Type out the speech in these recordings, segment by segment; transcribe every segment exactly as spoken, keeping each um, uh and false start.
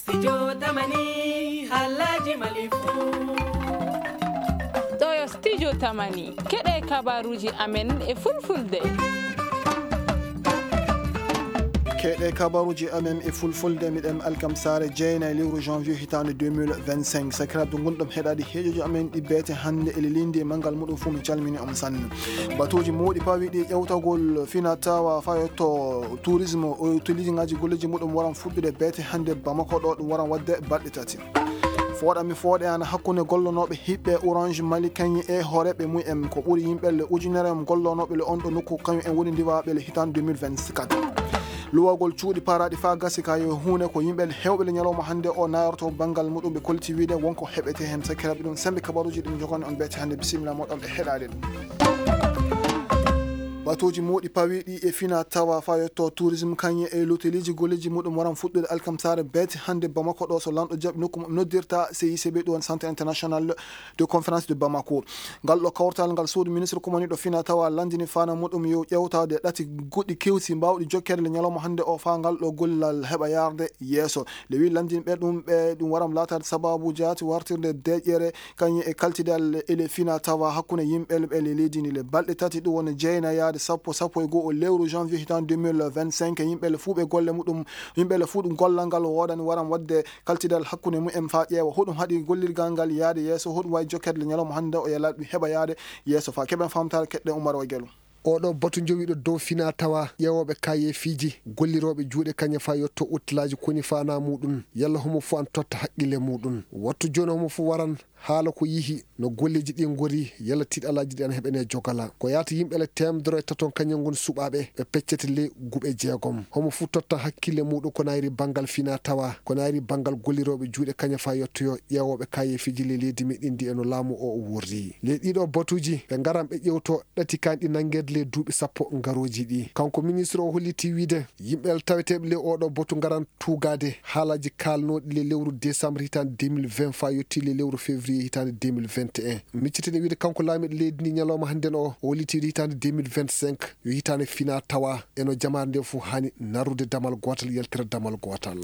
Studio Tamani, Halaji Malifu. Ɗo yo Studio Tamani, keɗe kabaruji amen e fulfulde. Keɗe kabaruji amen e fulfulde, miɗen alkamsare jeyna e lewru janvier hitande deux mille vingt-cinq. Sakiraaɓe, ngonɗon heɗaade heejoji amen ɗi beete hannde e lelindi e manngal muɗum fuu, mi calmini on sanne. Batuuji mawɗi pawiɗi ƴewtagol fina tawa fayotto tourisme, o toliji ngaji golleji muɗum waran fuɗɗude beete hannde Bamako ɗo, ɗum waran waɗde balɗe tati. Fooɗa mi fooɗe ana hakkunde gollonooɓe hiɓɓe Orange Mali kañum e hooreeɓe mum en, ko ɓuri yimɓe le ujunere en gollonooɓe le on ɗo nokku, kañum en woni ndiwaaɓe le hitande deux mille vingt-quatre. Luwagol cuuɗi paaraaɗi faa gasi ka yo huunde ko yimɓe heewɓe le ñalawma hannde o nayorto banngal muɗum, ɓe kolliti wiide wonko heɓete heen. Sakiraaɓe, ɗum sembe kabaruuji ɗum jogani on beete hannde. Bisimilla moɗon ɓe heɗaade ɗum. Batuuji mawɗi pawiɗi e fina tawa faa yetto tourisme kañum e loteliiji golleji muɗum waran fuɗɗude alkamsare beete hannde Bamako ɗo, so lanɗo jaɓi nokku mo noddirta C I C B, ɗum woni Centre International de Conférence de Bamako. Ngal ɗo kawtal ngal suudu ministre kumaniiɗo fina tawa landini fana muɗum yo ƴewtade ɗati goɗɗi kewsi mbawɗi jokkede le ñalawma hannde o faa ngal ɗo gollal heɓa yarde yeeso. Nde wi landinɓe ɗum ɓe ɗum waram laatade sababu jaati wartirde deƴƴere kañum e kaltidal ele fina tawa hakkunde yimɓe le ɓe le leydi ndi le balɗe tati, ɗum woni jeynayaade sappo, sappo e go'o lewru janvier hitande deux mille vingt-cinq. Yimɓe le fuu ɓe golle muɗum, yimɓe le fuu ɗum gollal ngal woodani waram waɗde kaltidal hakkunde mumen faa ƴeewa hoɗum haɗi gollirgal ngal yaade yeeso, hoɗum wawi jokkede le ñalawma hannde o yalal ɗum heɓa yaade yeeso faa keɓen famtaare keɗɗen Umar wa Gelo. Oɗo batu jowiɗo dow fina tawa ƴeewooɓe kayeefiiji, gollirooɓe juuɗe kañe faa yotto uttilaaji koni faanaa muɗum, yalla homo fuu an totta haqqille muɗum. Wattu jooni homo fuu waran haala ko yihi no golleeji ɗi ngori, yalla tiiɗalaaji ɗi ana heɓene jogala. Ko yaata yimɓe le teemedere e taton kañum ngon suɓaaɓe, ɓe peccete ley guɓe jeegom. Homo fuu totta hakkille muɗum ko nayri banngal fina tawa, ko nayri banngal gollirooɓe juuɗe kañe faa yottoyo ƴeewooɓe kayeefiiji ley leydi meɗen ndi e no laamu o o worri. Ley ɗiɗo batuuji, ɓe ngaran ɓe ƴewto ɗati kanɗi nanngeede ley duuɓi sappo ngarooji ɗi. Kanko ministre o holliti wiide yimɓe taweteeɓe ley oɗo batu ngaran tuugaade haalaaji kaalnooɗi ley lewru décembre hitaande deux mille vingt faa yotti ley lewru février hitaande deux mille vingt et un. Miccitene wiide kanko laamiiɗo leydi ndi ñalawma hannden o, o holliti wiide hitaande deux mille vingt-cinq yo hitaande fina tawa e no jamaare nde fof haani narrude damal gootal, yaltira damal gootal.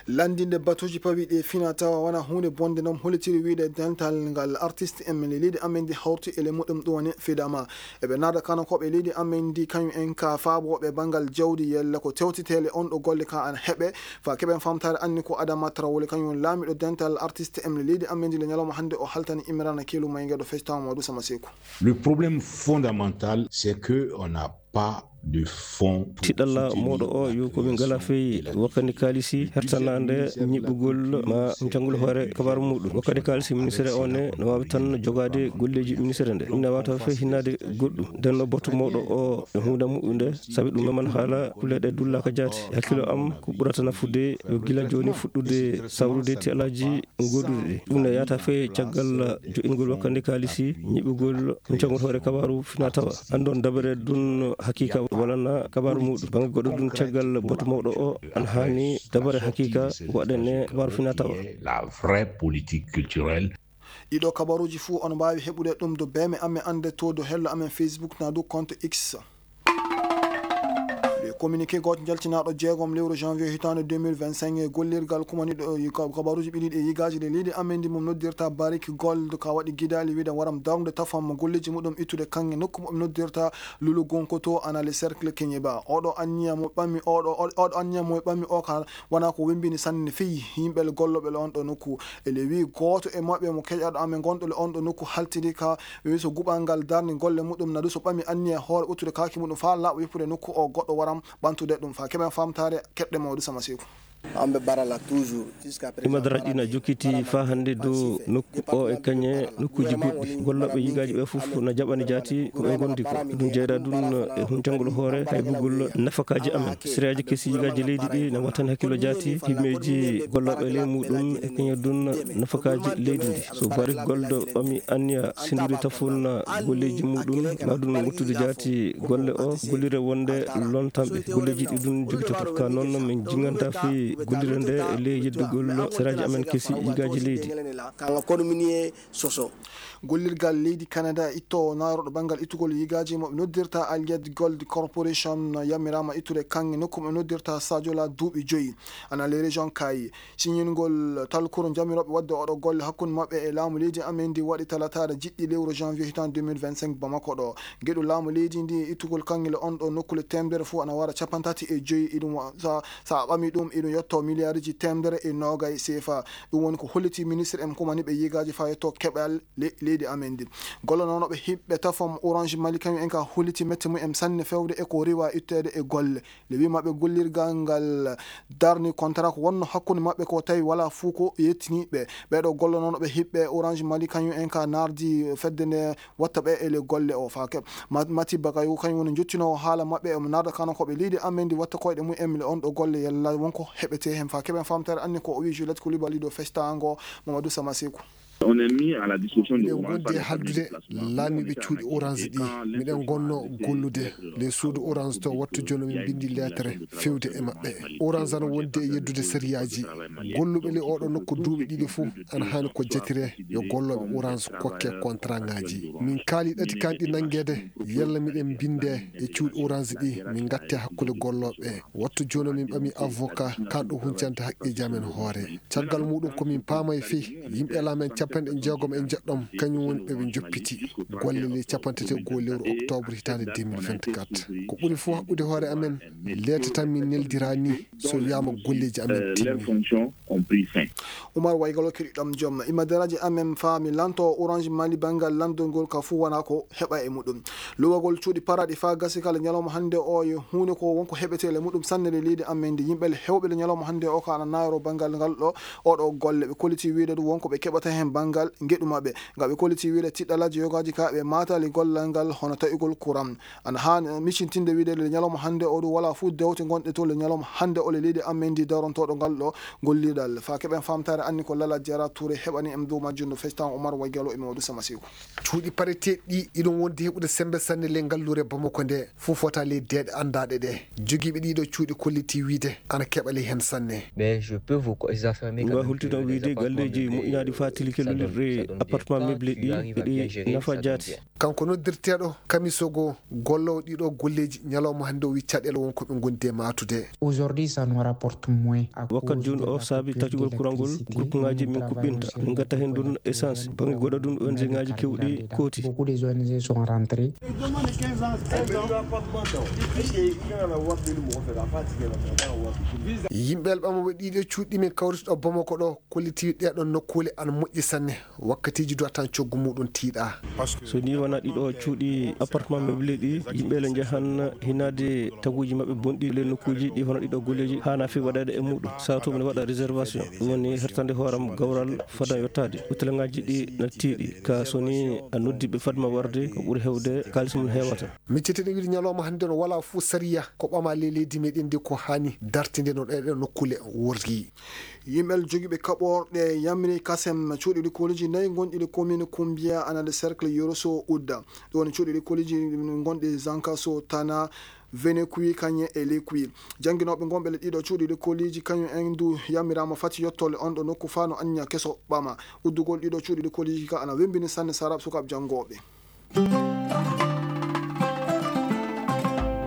Lanndinde batuuji pawiɗi e fina tawa wona huunde bonde, noon hollitiri wiide dental ngal artiste en leydi amen ndi hawti e le muɗum ɗum woni fidama. Eɓe naada kanakooɓe leydi amen ndi, kañum en ka faabooɓe banngal jawdi, yalla ko tewtitee le on ɗo golle ka ana heɓe, faa keɓen famtaare anni ko Adama Traoré, kañum woni laamiiɗo dental artiste en leydi amen ndi le ñalawma hannde o haltani Imrana Kelu Mayga ɗo fectaama Mamadou Sama Seku. Le problème fondamental, c'est que on n'a pas de fonds pour Tiɗalla soutenir mooɗo o la yo ko min création ngala fey et la wakkande kaalisi hertanaande ñiɓɓugol ma njangol hoore kabaru muɗum. Wakkande kaalisi ministre o ne no waawi tan jogaade golleeji ministre nde. Ina waawata fey hinnaade goɗɗum. Nden no botu mawɗo o e huunde muɗum nde, sabi ɗum meman haala kuleeɗe dullaaka jaati. E hakkilo am, ko ɓurata nafude yo gila jooni fuɗɗude sawrude tiɗalaaji goɗɗuɗi ɗi. Ɗum ne yahata fey caggal jo'ingol wakkande kaalisi, ñiɓugol, huncagol hoore kabaaru fina tawa. Anndon dabere ɗum hakiika walana kabaaru muɗum. Bannge goɗɗo ɗum caggal batu mawɗo o, an haani dabare hakiika waɗane kabaaru fina tawa. La vraie politique culturelle. Ɗiɗo kabaruuji fuu on mbaawi heɓude ɗum do beeme amen annde to do hello amen Facebook na du compte X. Le communiqué gooto njaltinaaɗo jeegom lewru janvier hitaande deux mille vingt-cinq e gollirgal kumaniiɗo yi-, ka-, kabaruuji ɓiɗiɗi e yigaaji ɗe leydi amen ndi mum noddirta Barrick Gold ka waɗi gidaali wiide waram darnude tafam golleeji muɗum ittude kaŋŋe nokku mo ɓe noddirta Lulugunkoto ana le cercle Keñeba. Oɗo anniya mo ɓammi, oɗo, oɗo anniya mo ɓammi o ka wona ko wembini sanne fii yimɓe gollooɓe le on ɗo nokku. E le wi gooto e maɓɓe mo keƴaɗo amen gonɗo le on ɗo nokku haltidi ka wi so guɓal ngal darni golle muɗum na du so ɓami anniya hoore ɓuttude kaaki muɗum faa laaɓa yoppude nokku o goɗɗo waram ɓantude ɗum faa keɓen famtaare keɗɗe mawɗo Sama Seeku. Amɓe barala toujours. Imadaraaji ɗi na jokkiti faa hannde dow nokku o e kañe nokkuuji goɗɗi. Gollooɓe yigaaji ɓe fof na jaɓani jaati ko ɓe ngondi ko. Ɗum jeyda ɗum e huncangol hoore haybugol nafakaaji amen. Siraaji kesi yigaaji leydi ɗi na wattani hakkillo jaati himmeeji gollooɓe ley muɗum e kañum ɗum nafakaaji leydi ndi. So Barrick Gold ɓami anniya senndude tafon golleeji muɗum, ma ɗum wuttude jaati golle o, gollire wonde lontanɓe golleeji ɗi ɗum jogitoto. Ka noon min jinganta fii Gollirde nde e ley yeddugol saraaji amen kesi yigaaji leydi. Gollirgal leydi Canada ittoowo naarooɗo banngal ittugol yigaaji mo ɓe noddirta Allied Gold Corporation yammiraama ittude kaŋŋe nokku mo ɓe noddirta Sajola duuɓi joyi. Ana les régions kaayi siñingol talkuru jamirooɓe waɗde oɗo golle hakkunde maɓɓe e laamu leydi amen ndi waɗi talataare jiɗɗi lewru janvier hitaan deux mille vingt-cinq Bamako ɗo. Geɗu laamu leydi ndi ittugol kaŋŋe le on ɗo nokkule temedere fof ana wara capanɗe tati e joyi. Iɗum wa- sa, sa a ɓami ɗum iɗum yetto miliyariji temedere e noogay sefa. Ɗum woni ko holliti ministre en kumani ɓe yigaaji fa yetto keɓal le- leydi amen ndi. Gollanooɓe hiɓɓe tafam Orange Mali kañum en ka holliti mette mum en sanne fewde e ko riwa itteede e golle. Le wi maɓɓe gollirgal ngal darni contrat ko wonno hakkunde maɓɓe ko tawi wala fuu ko yettini ɓe. Ɓeɗo gollanooɓe hiɓɓe Orange Mali kañum en ka nardi fedde nde watta ɓe e le golle o fa keɓ. Ma- Mati Bakayo kañum woni jottinoowo haala maɓɓe e mo narda kano ko ɓe leydi amen ndi watta koyɗe mum en le on ɗo golle yalla wonko heɓete hen fa keɓen famtare anni ko o wi Juliette Koulibaly ɗo festango Mamadou Samasekou. On est mis à la disposition de Miɗen Orange gondi e haldude laamiiɓe cuuɗi Orange ɗi. Miɗen gonno gollude le suudu Orange to wattu jono min mbindi lettre fewde e maɓɓe. Orange ana wondi e yeddude sariyaaji. Golluɓe le oɗo nokku duuɓi ɗiɗi fof ana haani ko jatire yo gollooɓe Orange kokke contrat ŋaaji. Min kaali ɗati kanɗi nanngeede yalla miɗen mbinde e cuuɗi Orange ɗi min ngatte hakkunde gollooɓe. Wattu jono min ɓami avocat kanɗo huncante haqqeeji amen hoore. Caggal muɗum ko min paama e fii yimɓe laamen capanɗe jeegom e jeɗɗom kañum woni ɓe ɓe joppiti golle ley capanɗe tati e goo lewru octobre hitaande deux mille vingt-quatre. Ko ɓuri fof haɓɓude hoore amen leetatan min neldira ni so wiyaama golleeji amen timmi. Umar Waygalo keɗiɗam joom imadaraaji amen faami lanto Orange Mali banngal lanndol ngol ka fuu wona ko heɓa e muɗum. Luwagol cuuɗi paraɗi faa gasi kala ñalawma hannde o yo huunde ko wonko heɓetee le muɗum sanne le leydi amen ndi yimɓe le hewɓe le ñalawma hannde o ka ana naaro banngal ngal ɗo oɗo golle ɓe kolliti wiide ɗum wonko ɓe keɓata heen banngal ngeɗu maɓɓe nga ɓe kolliti wiide tiɗɗalaaji yogaaji ka ɓe maatali gollal ngal hono taƴugol kuran ana haa micintinde wiide le ñalawma hannde o ɗum wala fuu dewte gonɗe to le ñalawma hannde o le leydi amen ndi darontooɗo ngal ɗo gollirɗal faa keɓen famtaare anni ko lala jara touré heɓani em dow majjum no festan omar waygalo e mawdu samasigo. Cuuɗi pareteeɗi ɗi iɗon wondi heɓude semmbe sanne ley ngalluure Bamako nde, fof fota ley deeɗe anndaaɗe ɗe. Jogiiɓe ɗiiɗoo cuuɗi kolliti wiyde ana keɓali heen sanne. Mais je peux vous co- affirmer quand Nga même que holtino les wiyde appartements galleeji meublés, moƴƴinaaɗi euh, faa tilike ça donne, lullirɗe ça donne bien. Appartement Quand meublé ɗi, client vient eɗi bien, nafa ça donne jaati. Bien. Kanko noddirteeɗo Kamisogo, golloowo ɗiiɗoo golleeji, ñalawma hannde o wi caɗeele won ko ɓe ngondi e maatude. Aujourd'hui, ça nous rapporte moins à Wakkat cause jooni de o la saabi coupure de tacugol kurangol, l'électricité. Groupe ŋaaji Nous min travaillons kuɓɓinta, sur min ngatta heen ɗum essence. Bannge goɗɗo ɗum, O N G ŋaaji kewɗi kooti. Beaucoup des O N G sont rentrés. Yimɓe alɓamooɓe ɗiiɗoo cuuɗi min kawriti ɗo Bamako ɗo, kolliti ɗeeɗoo nokkuule ana moƴƴi sanne. Wakkatiiji duwatan coggu muɗum tiiɗa. So ni wona ɗiɗo cuuɗi appartement meublé ɗi, yimɓe le njahan hinaade taguuji maɓɓe bonɗi le nokkuuji ɗi hono ɗiɗo golleeji haana fi waɗeede e muɗum. Sato min waɗa réservation. Ɗum woni hertande hooram gawral fada yottaade. Hotel ŋaaji ɗi na tiiɗi. Ka so ni a noddi ɓe fadma warde, ko ɓuri hewde kaalis mum heewata. Miccete ɗe wiide ñalawma hannde no wala fuu sariya ko ɓama le leydi meɗen ndi ko haani dartinde no ɗeɗo nokkuule worri. Yimɓe jogiiɓe kaɓorɗe yamri kasem cuuɗi likkoliji nayi gonɗi le commune Kumbiya ana le cercle Yoroso Udda. Ɗo woni cuuɗi likkoliji gonɗi Zankaso, Tana, Venekui, Kanye e Lekui. Jannginooɓe gonɓe le ɗiɗo cuuɗi likkoliji kañum en du yamirama fati yottole on ɗo nokku faa no anniya keso ɓama. Uddugol ɗiɗo cuuɗi likkoliji ka ana wembini sanne sarab sukaaɓe janngooɓe.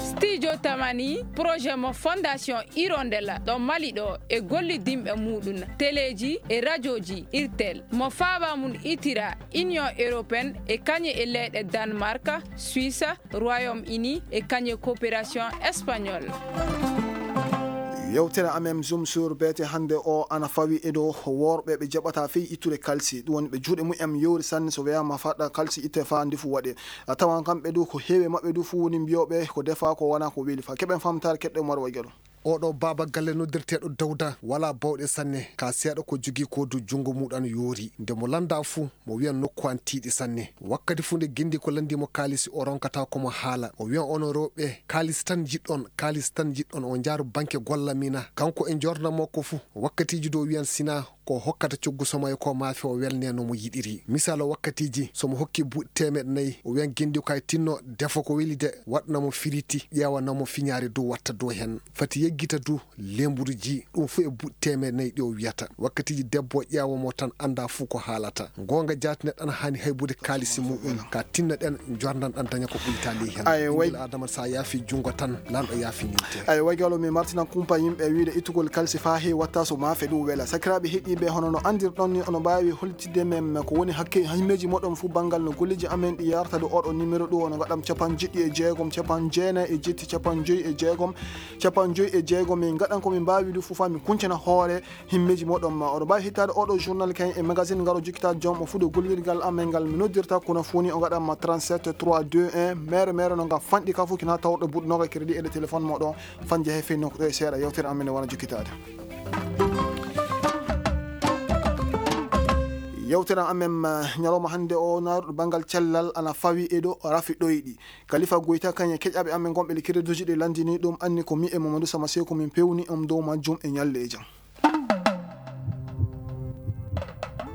Studio Tamani, projet mo Fondation Hirondella ɗo Mali ɗo e gollidinɓe muɗum, teleji e rajoji Irtel, mo faaba mum itira Union Européenne e kañe e leyɗe Danemark, Suisse, Royaume Uni e kañe coopération espagnole. Yewtere amen Zoom sur B T hannde o ana fawi e dow worɓe ɓe jaɓata fey ittude kalsi. Ɗum woni ɓe juuɗe mumen yowri sanne so weyama faɗɗa kalsi itte fa ndefu waɗe. A tawan kamɓe du ko heewi maɓɓe du fuu woni mbiyooɓe ko defa ko wona ko weli fa. Keɓen famtaare keɗɗo Umar Waygalo. Oɗo baaba galle noddirteeɗo Dawda wala bawɗe sanne, ka seeɗa ko jogii ko du junngo muɗum yoori. Nde mo lannda fuu, mo wiyan nokku an tiiɗi sanne. Wakkati fuu nde gindi ko lanndi mo kaalisi, o ronkata ko mo haala. O wiyan onon rewɓe, kaalis tan njiɗɗon, kaalis tan njiɗɗon, o njaaru banke golla mina. Kanko e njoornam makko fuu, wakkatiiji du o wiyan sina o hokkata coggu somayo ko maafe o welne no mo yiɗiri. Misal, o wakkatiiji, so mo hokki buuɗi teemeɗɗe nayi, o wiyan genndi ko ay tinno, defo ko weli de, waɗna mo firiti, ƴeewana mo fiñaare dow, watta dow hen. Fati yeggita du, lemburu ji, ɗum fu e buuɗi teemeɗɗe nayi ɗi o wiyata. Wakkatiiji debbo o ƴeewa mo tan annda fu ko haalata. Goonga jaati neɗɗo ana haani haybude kaalisi muɗum, ka tinna ɗen, jordan ɗan daña ko ɓuyta ley hen. Ay, way- Ɓinngel Adama, sa yaafi junngo tan, lanɗo yaafi ninte. Ay, way galo mi martina kumpa yimɓe wiide ittugol kalisi faa heewi watta so maafe ɗum wela. Sakiraaɓe heɗiiɓe, hono no anndirɗon ni, ono mbaawi holtidde men ko woni hakke himmeeji moɗon fu banngal no golleeji amen ɗi yarta ɗo oɗo numéro ɗo, ono ngaɗam capanɗe jeɗɗi e jeegom, capanɗe jeenayi e jetti, capanɗe joyi e jeegom, capanɗe joyi e jeegom. Min ngaɗan ko min mbaawi ɗum fu faa min kuncana hoore himmeeji moɗon ma. Oɗo mbaawi hittaade oɗo journal kayen e magazine ngaro jokkitaade joom o fu ɗo gollirgal amen ngal mi noddirta kono fu ni o ngaɗan ma trente-sept trois deux un. Mere mere no ngam fanɗi ka fu kina tawɗo buɗɗo noga crédit e ɗo téléphone moɗo. Fanje he fenno ko ɗo e seeɗa yewtere amen ne wona jokkitaade. Yewtere amen, eh, ñalawma hannde o naaruɗo banngal cellal ana fawi e ɗo rafi ɗoyɗi. Kalifa Goyta kañe keƴaɓe amen gonɓe le crédit ɗi landini ɗum anni ko mi e Mamadou Sama Seeku min pewni on dow majjum e ñalleejo.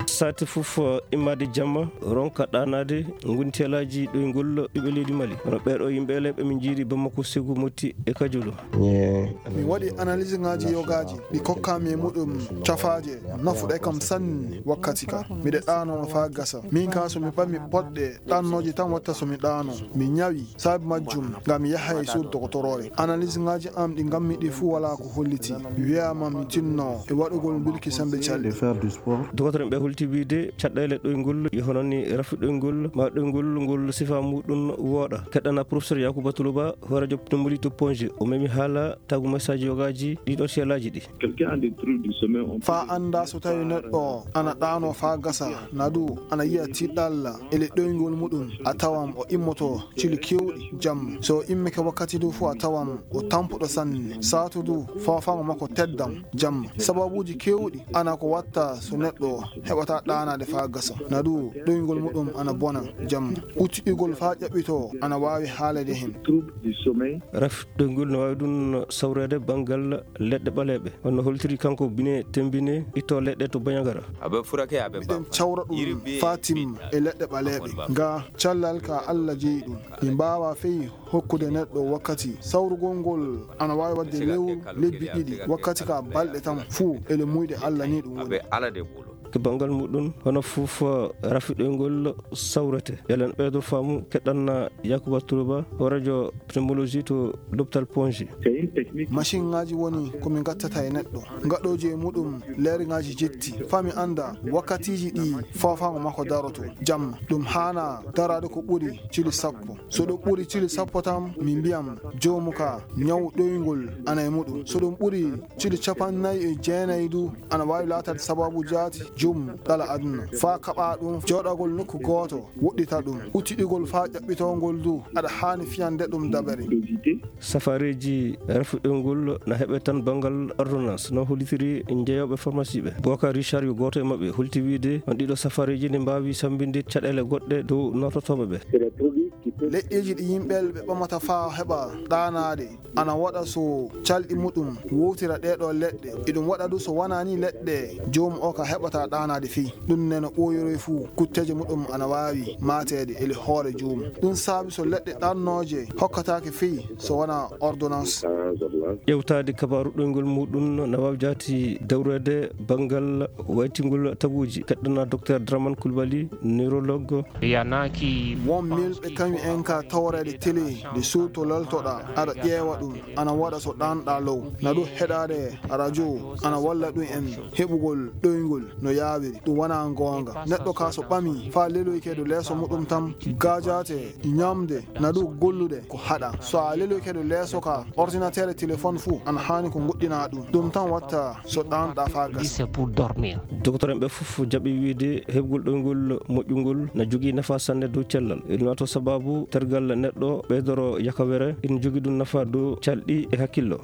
Saati fof, eh, immade jamma, ronka ɗaanaade, ngonti alaaji ɗoyngol ɓiɓɓe leydi Mali. Kono ɓeeɗo yimɓe ele ɓe min njiiri Bamako, Ségou, Moti e Kajolo. Mi waɗi analyse ŋaaji yogaaji, ɗi kokkaami e muɗum cafaaje nafuɗe kam sanne wakkati ka. Miɗe ɗaano on faa gasa. Min ka so mi ɓami poɗɗe ɗannooje tan watta so mi ɗaano. Mi ñawi, saabi majjum, ngam mi yaha e suudu dogotoroore. Analyse ŋaaji am ɗi ngammi ɗi fuu walaa ko holliti. Mi wiyaama mi tinno e waɗugol mbirki sembe calɗi. Dogotoro en ɓe holti wiide caɗeele ɗoyngol, e hono ni rafi ɗoyngol, ma ɗoyngol ngol sifa muɗum wooɗa. Keɗɗana professeur Yakuba Tuluba, hooreejo pneumologie to Ponge, o memi haala tagu message yogaaji ɗiɗo siyalaaji ɗi. Faa annda so tawi neɗɗo ana ɗaano faa gasa, na du ana yiya tiɗɗalla e le ɗoyngol muɗum, a tawan o immoto cili kewɗi jamma. So o immike wakkati du fu a tawan o tampuɗo sanne. Saatu du foofaango makko teddan jamma. Sababuuji kewɗi ana ko watta so neɗɗo heɓata ɗaanaade faa gasa. Na du ɗoyngol muɗum ana bona jamma. Uttiɗigol faa ƴaɓɓitoo ana waawi haalede hen. Raf ɗoyngol no waawi ɗum sawreede banngal leɗɗe ɓaleeɓe. Hono holtiri kanko Bine Tembine, itto leɗɗe to Bandiagara. Miɗen cawra ɗum faa timma e leɗɗe ɓaleeɓe. Nga callal ka Alla jeyi ɗum. Mi mbaawa fey hokkude neɗɗo wakkati. Sawrugol ngol ana waawi waɗde lewru, lebbi ɗiɗi, wakkati ka balɗe tan fuu ele muyɗe Alla ni ɗum woni. Ko banngal muɗum, hono fof rafi ɗoyngol sawrete. Elen ɓeydo faamu keɗɗanna Yakuba Turuba, hooreejo pneumologie to l'hôpital Ponge. Machine ŋaaji woni ko min ngattata e neɗɗo. Ngaɗooji e muɗum leere ŋaaji jetti. Faa mi annda wakkatiiji ɗi foofaango makko daroto. Jamma, ɗum haana daraade ko ɓuri cili sappo. So ɗum ɓuri cili sappo tan, min mbiyan joomu ka ñaw ɗoyngol ana e muɗum. So ɗum ɓuri cili capanɗe nayi e jeenayi du, ana waawi laataade sababu jaati jum ɗala aduna. Faa kaɓa ɗum jooɗagol nokku gooto, woɗɗita ɗum. Uttiɗigol faa ƴaɓɓitoo ngol du, aɗa haani fiyande ɗum dabere. Safareeji rafi ɗoyngol na heɓe tan banngal ordonnance, no hollitiri jeeyooɓe pharmacie ɓe. Bocar Richard yo gooto e maɓɓe holti wiide on ɗiɗo safareeji ne mbaawi sammbinde caɗeele goɗɗe dow noototooɓe ɓe. Leƴƴeeji ɗi yimɓe ɓe ɓamata faa heɓa ɗaanaade ana waɗa so calɗi muɗum wowtira ɗee ɗoo leɗɗe. Eɗum waɗa du so wanaa ni leɗɗe joomu o ka heɓata ɗaanaade fii. Ɗum ne no ɓooyoroy fuu, kutteeje muɗum ana waawi maateede ele hoore joomu. Ɗum saabi so leɗɗe ɗannooje hokkataake fii so wanaa ordonnance. Ƴewtaade kabaaru ɗoyngol muɗum na waawi jaati dawreede banngal waytingol taguuji. Keɗɗana Docteur Draman Coulibaly, neurologue. Won milɓe kañum en ka tawreede télé, nde suuto leltoɗaa, aɗa ƴeewa ɗum, ana waɗa so ɗaanɗaa low. Na ɗum heɗaade radio, ana walla ɗum en heɓugol ɗoyngol no yaawiri. Ɗum wonaa goonga. Neɗɗo ka so ɓami faa leloyke dow leeso muɗum tan, gaajaate, ñamde, na ɗum gollude ko haɗa. So a leloyke dow leeso ka, ordinateur e téléphone fuu, ana haani ko ngoɗɗinaa ɗum. Ɗum tan watta so ɗaanɗaa faa gasa. Dogotoro en ɓe fof jaɓi wiide heɓgol ɗoyngol moƴƴungol na jogii nafa sanne dow cellal. Ina wato sababu tergal neɗɗo ɓeydoro yakawere, ina jogii ɗum nafa dow calɗi e hakkillo.